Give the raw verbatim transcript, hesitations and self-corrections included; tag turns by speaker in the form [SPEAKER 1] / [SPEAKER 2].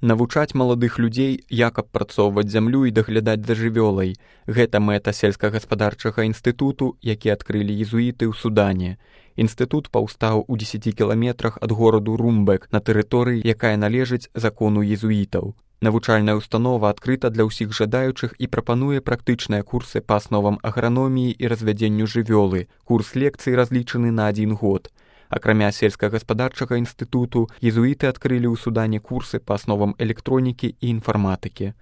[SPEAKER 1] Навучаць маладых людзей, як абпрацоўваць зямлю і даглядаць за жывёлай. Гэта мэта сельскагаспадарчага інстытуту, які адкрылі езуіты ў Судане. Інстытут паўстаў у дзесяці кіламетрах ад гораду Румбек на тэрыторыі, якая належыць закону езуітаў. Навучальная установа адкрыта для ўсіх жадаючых і прапануе практычныя курсы па асновам аграноміі і развядзенню жывёлы. Курс лекцый разлічаны на адзін год. Акрамя сельскагаспадарчага інстытуту, езуіты адкрылі ў Судане курсы па асновам электронікі і інфарматыкі.